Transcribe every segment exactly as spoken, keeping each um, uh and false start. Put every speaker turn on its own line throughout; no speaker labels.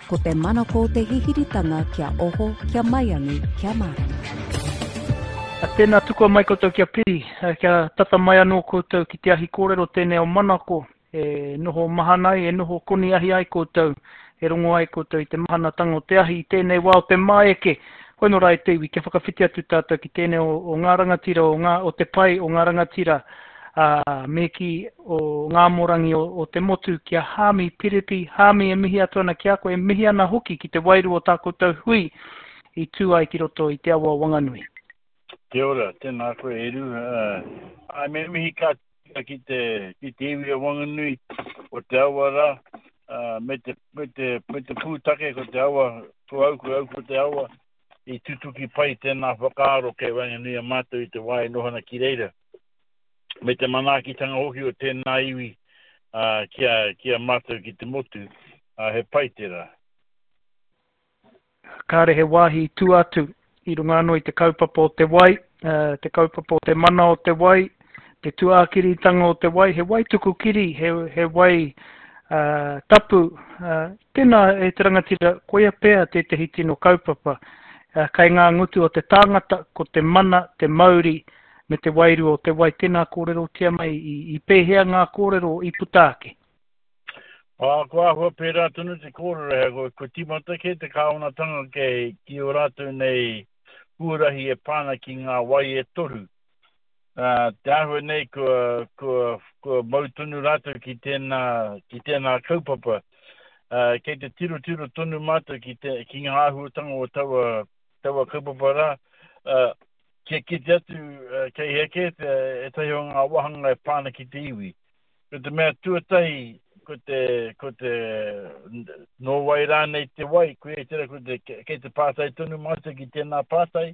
Ko te manako o te hihiritanga kia oho, kia maiangi, kia mārama.
Tēnā tukua mai koutou kia piri, kia tata mai anō koutou ki te ahi kōrero tēnei o manako, e noho mahana ai, e noho koni ahi ai koutou, e rongo ai koutou i te mahanatanga o te ahi i tēnei wā o te māeke. Hoi nō rā e te iwi, kia whakawhiti atu tātou ki tēnei o, o ngā rangatira, o, ngā, o te pai o ngā rangatira, ā, me kī o ngā amorangi o, o te motu ki a Haami Piripi. Haami, e mihi atu ana ki a koe, e mihi ana hoki ki te wairua o tā koutou hui i tū ai ki roto i te awa o Wanganui.
Kia ora, tēnā koe Eru. Āe, me mihi ka tika ki te, ki te iwi o Wanganui, o te awa rā, me te, me te, me te pūtake ko te awa, ko au, ko au ko te awa, i tutuki pai tēnā whakaaro kei waenganui a mātou i te wā e noho ana ki reira. Me te manaakitanga hoki o tēnā iwi uh, ki, a, ki a mātou ki te motu, uh, he pai tērā.
Kāre he wāhi i tua atu i runga anō i te kaupapa o te wai, te kaupapa o te mana o te wai, te tūākiritanga o te wai, he wai tuku kiri, he, he wai uh, tapu. Uh, tēnā e te rangatira, koia pea tētehi tino kaupapa. Uh, kei ngā ngutu o te tāngata, ko te mana, te mauri, me te wairua o te wai. Tēnā kōrerotia mai i, i pēhea ngā kōrero i puta ake?
Ā, kua āhua pērā tonu te kōrero, he, kua, kua tīmata kē te kāwanatanga kei, ki ō rātou nei huarahi e pā ana ki ngā wai e toru. Ā, te āhua nei kua, kua, kua mau tonu rātou ki tēnā, ki tēnā kaupapa. Ā, kei te tirotiro tonu mātou ki, te, ki ngā āhuatanga o taua, taua kaupapa rā, ā, kia kite atu kei hea kē te, ētahi o ngā wāhanga e pā ana ki te iwi. Ko te mea tuatahi, ko te, ko te, nō wai rānei te wai, koia tērā ko te, kei te pātai tonu mātou ki tēnā pātai,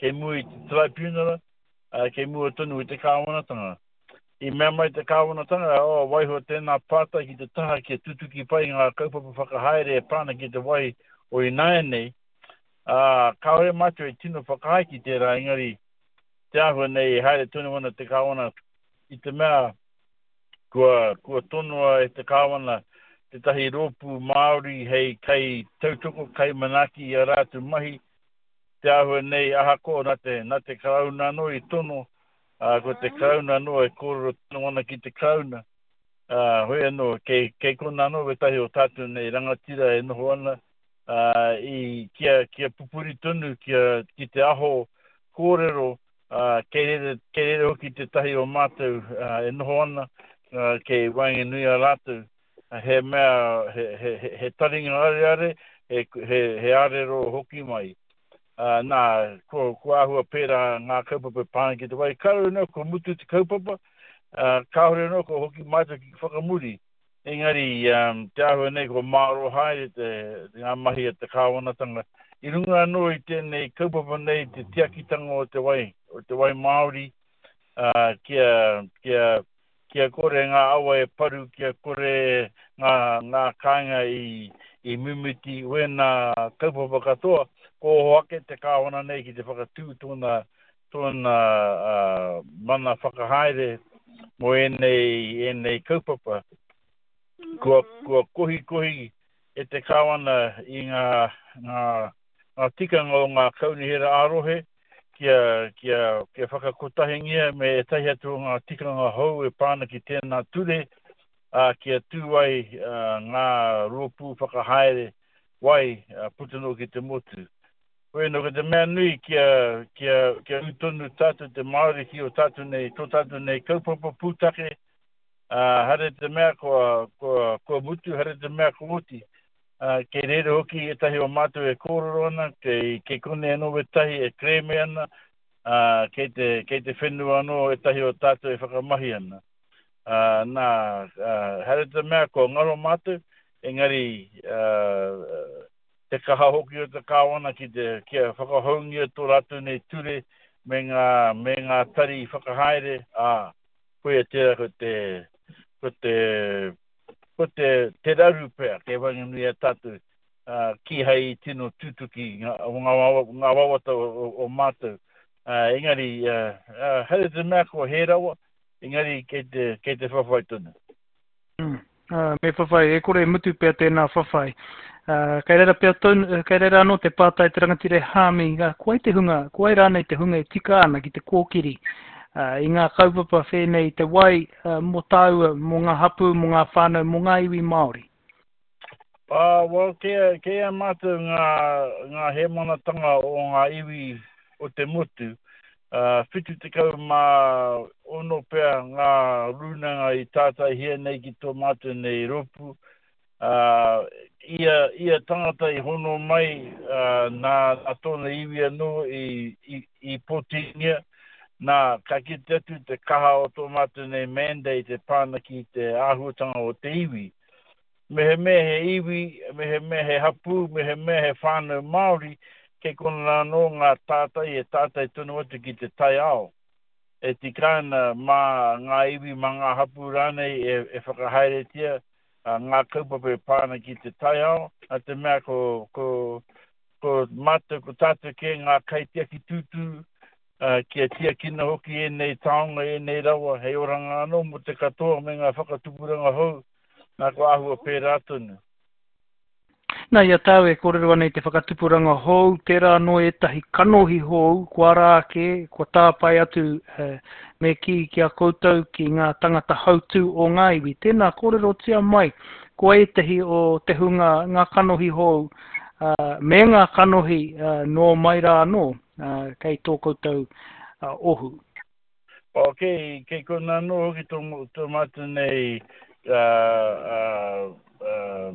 kei mua i te tribunal, ā, kei mua tonu i te kāwanatanga. I mea mai te kāwanatanga, oh, waiho tēnā pātai ki te taha kia tutuki pai ngā kaupapa whakahaere e pā ana ki te wai o ināianei, ā, kāore mātou e tino whakaae ki tērā, engari te āhua nei e haere tonu ana te kāwana i te mea Kua, kua tonoa e te Kāwana tētahi rōpū Māori hei kai tautoko, kai manaaki i ā rātou mahi. Te āhua nei, ahakoa nā te, nā te Karauna anō i tono, ā, ko te Karauna anō e kōrero tonu ana ki te Karauna. Ā, hoi anō, kei, kei konā anō wētahi o tātou nei rangatira e noho ana, ā, i, kia, kia pupuri tonu, kia, ki te aho kōrero, Ā, kei reira, kei reira hoki tētahi o mātou e noho ana, kei waenganui a rātou, he mea, he, he, he, he taringa areare, he, he, he arero hoki mai. Ā, nā, ko, ko āhua pērā ngā kaupapa e pā ana ki te wai. Kāore anō kua mutu te kaupapa, ā, kāore anō kua hoki mātou ki whakamuri. Engari, te āhua nei kua mārō haere te, ngā mahi a te kāwanatanga. I runga anō i tēnei kaupapa nei te tiakitanga o te wai, o te wai Māori, ā, kia, kia, kia kore ngā awa e paru, kia kore ngā, ngā kāinga i, i mimiti, wēnā kaupapa katoa, kua oho ake te kāwana nei ki te whakatū tōna, tōna mana whakahaere mō ēnei, ēnei kaupapa. Kua, kua kohikohi e te Kāwana i ngā, ngā, ngā tikanga o ngā kaunihera ā-rohe kia, kia, kia whakakotahingia me ētahi atu o ngā tikanga hou e pā ana ki tēnā ture, ā, kia tū ai ngā rōpū whakahaere wai puta noa ki te motu. Hoi anō, ko te mea nui kia, kia, kia ū tonu tātou te Māori ki o tātou nei, tō tātou nei kaupapa pūtake, ā, haere te mea kua, kua, kua mutu, haere te mea kua oti. Ā, kei reira hoki ētahi o mātou e kōrero ana, kei, kei konei anō wētahi e kerēme ana, ā, kei te, kei te whenua anō ētahi o tātou e whakamahi ana. Ā, nā, ā, haere te mea kua ngaro mātou, engari, ā, te kaha hoki o te Kāwana ki te, kia whakahoungia tō rātou nei ture me ngā, me ngā tari whakahaere, ā, koia tērā ko te, ko te, ko te, te raru pea kei waenganui i a tātou, ā, kīhai i tino tutuki ngā, ngā, ngā wawata o, o, o mātou. Ā, engari, ā, ā, haere te mea kua hē rawa, engari kei te, kei te whawhai tonu.
Mm. Uh, me whawhai, e kore e mutu pea tēnā whawhai. Uh, kei reira pea tonu, kei reira anō te pātai te rangatira e Hāmi, ko wai te hunga, ko wai rānei te hunga e tika ana ki te kōkiri uh, i ngā kaupapa whēnei i te wai uh, mō tāua, mō ngā hapū, mō ngā whānau, mō ngā iwi Māori?
Uh, well, kei, kei a mātou ngā, ngā hēmanatanga o ngā iwi o te motu, uh, whitu tekau mā ono pea ngā rūnanga i tātaihia nei ki tō mātou nei rōpū. Uh, ia, ia tangata i hono mai uh, nā, nā tōna iwi anō i, i, i pōtingia. Nā, ka kite atu te kaha o tō mātou nei mandate e pā ana ki te āhuatanga o te iwi. Mehemea he iwi, mehemea he hapū, mehemea he whānau Māori, kei konā anō ngā tātai e tātai tonu atu ki te taiao. E tika ana mā ngā iwi, mā ngā hapū rānei e, e whakahaeretia ngā kaupapa e pā ana ki te taiao, nā te mea ko, ko, ko mātou, ko tātou kē ngā kaitiaki tūturu, uh, kia tiakina hoki ēnei taonga, ēnei rawa, hei oranga anō mō te katoa me ngā whakatupuranga hou, nā ko āhua pērā tonu.
Nā, i a tāu e kōrero ana i te whakatupuranga hou, tērā anō ētahi kanohi hou, kua ara ake, kua tāpae atu eh, me kī ki a koutou ki ngā tangata hautū o ngā iwi. Tēnā, kōrerotia mai, ko ētahi o te hunga ngā kanohi hou, uh, me ngā kanohi uh, nō mai rā anō, uh, kei tō koutou uh, ohu.
O, kei, kei kona anō hoki tō, tō mātou nei uh, uh, uh,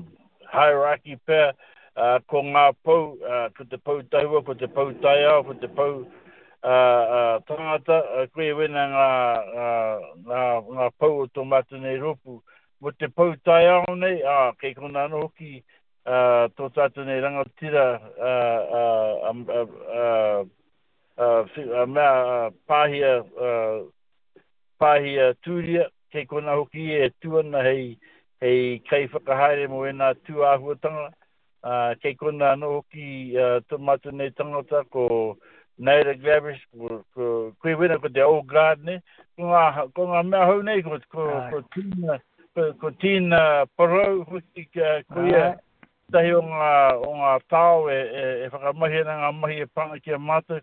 hierarchy pea, uh, ko ngā pou, uh, ko te pou tahua, ko te pou taiao, ko te pou uh, uh, tangata, uh, koe wena ngā, uh, ngā, ngā pou o tō mātou nei rōpū. Mo te pou taiao nei, ah, kei kona anō hoki uh, tō tātou nei rangatira uh, uh, um, uh, uh, uh, uh, mea uh, pāhia, uh, pāhia tūria, kei kona hoki e tū ana hei, hei kai whakahaere mō ēnā tū āhuatanga. Uh, kei kona anō hoki uh, tō mātou nei tangata ko Naida Glavish, ko, ko, koe wena ko te old guard ne. Ko ngā, ko ngā mea hou nei, ko, ko, ko Tina, ko, ko Tina Parau hoki, ko ia tahi o ngā, o ngā tao e, e, e whakamahi ana ngā mahi e pānga ki a mātou,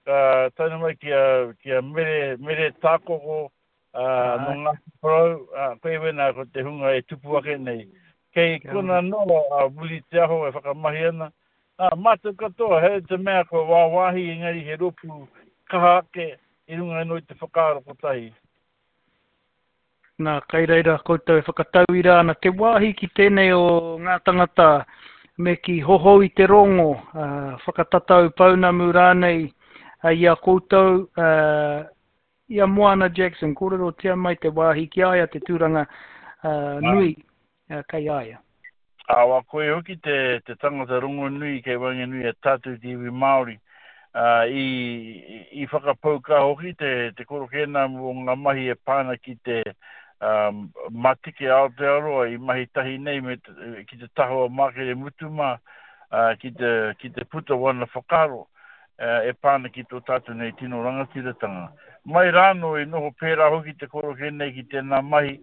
uh, tae mai ki a, ki a Mere, Mere Tākoko, uh, nō Ngāti Porou, uh, koe wena ko te hunga e tupu ake nei. Kei kona anō a Wili Te Aho e whakamahi ana. Nā, mātou katoa, he te mea ko wāwāhi engari he rōpū kaha ake i runga anō i te whakaaro kotahi.
Nā, kai reira koutou e whakatauira ana te wāhi ki tēnei o ngā tangata me ki hohou i te rongo, uh, whakatatau pounamu rānei uh, i a koutou, uh, i a Moana Jackson, kōrerotia mai te wāhi ki a ia te tūranga uh, nui uh, kei a ia.
Awa, koe hoki te, te tangata rongonui kei waenganui a tātou te iwi Māori. Uh, i, i whakapau kaha hoki te, te korokēnā mō ngā mahi e pāna ki te um, Matike Aotearoa i mahi tahi nei me te, ki te taha o Mākere Mutuma uh, ki, te, ki te puta wana whakaaro uh, e pāna ki tō tātou nei tino rangatiratanga. Mai rāno i noho pērā hoki te korokē nei ki tēnā mahi,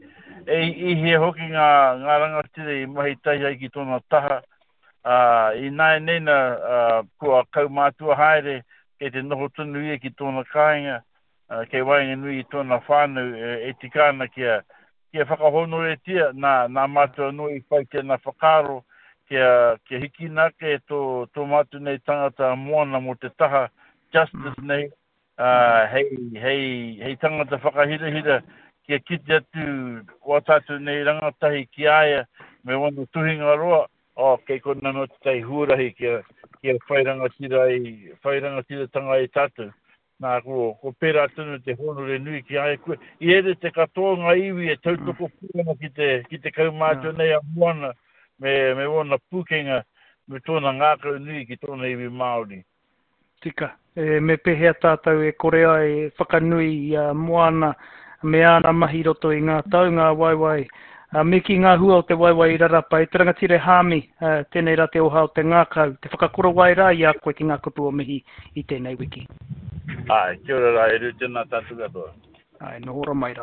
e i hia hoki ngā, ngā rangatira i mahi tahi ai ki tōna taha. Uh, i nāianei nā uh, kua kaumātua haere kei te noho tonu ia ki tōna kāinga, uh, kei waenganui i tōna whānau e, e tika ana kia, kia whakahonoretia nā, nā mātou anō i whai tēnā whakaaro kia, kia hikina ake tō, tō mātou nei tangata moana mō te taha justice nei, uh, hei, hei, hei tangata whakahirahira kia kite atu wā tātou nei rangatahi ki a ia me wana tuhinga roa, oh, kei kona anō tētahi huarahi kia, kia whai rangatira ai, whai rangatiratanga ai tātou. Nā, ko, ko pērā tonu te hōnore nui ki a ia koe. I ere te katoa ngā iwi e tautoko pū ana ki te, ki te kaumātua nei a Moana me, me ōna pūkenga me tōna ngākau nui ki tōna iwi Māori.
Tika, e, me pēhea tātou e kore ai e whakanui i a Moana me āna mahi roto i ngā tau, ngā waewae, uh, me ki ngā hua o te waewae i rarapa, e te rangatira Hāmi, uh, tēnei rā te oha o te ngākau, te whakakorowai rā i a koe ki ngā kupu o mihi i tēnei wiki.
Ai, kia ora rā, e rū tēnā tātou katoa.
Ai, noho ora mai rā.